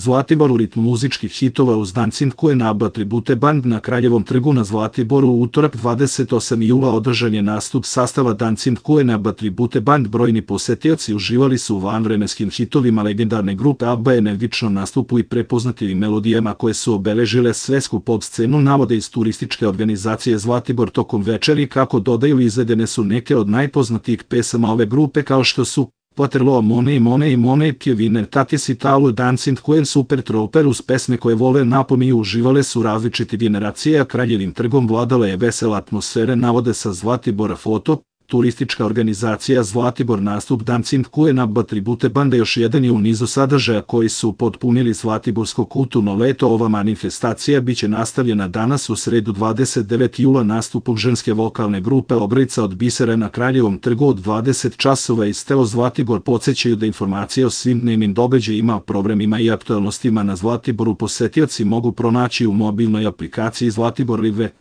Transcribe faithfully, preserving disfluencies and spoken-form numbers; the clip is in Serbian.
Zlatibor u ritmu muzičkih hitova uz Dancing Queen ABBA Tribute Band na Kraljevom trgu na Zlatiboru u utorak dvadeset osmog jula održan je nastup sastava Dancing Queen ABBA Tribute Band. Brojni posetioci uživali su u vanvremenskim hitovima legendarne grupe ABBA, energično nastupu i prepoznatljivim melodijama koje su obeležile svetsku pop scenu, navode iz turističke organizacije Zlatibor. Tokom večeri, kako dodaju, izvedene su neke od najpoznatijih pesama ove grupe kao što su Waterloo, Money, Money, Money, Kevin, Tatis Italu, Dancing Queen, Super Trooper. Uz pesme koje vole napominju uživale su različite generacije, a Kraljevim trgom vladala je vesela atmosfera, navode sa Zlatibora foto. Turistička organizacija Zlatibor. Nastup Dancing Queen ABBA Tribute Banda još jedan je u nizu sadržaja koji su potpunili Zlatiborsko kulturno leto. Ova manifestacija biće nastavljena danas u sredu dvadeset devetog jula nastupom ženske vokalne grupe Obrica od Bisera na Kraljevom trgu od dvadeset časova. Iz Teo Zlatibor podsjećaju da informacije o svim dnevnim događajima, programima i aktualnostima na Zlatiboru posetioci mogu pronaći u mobilnoj aplikaciji Zlatibor Live.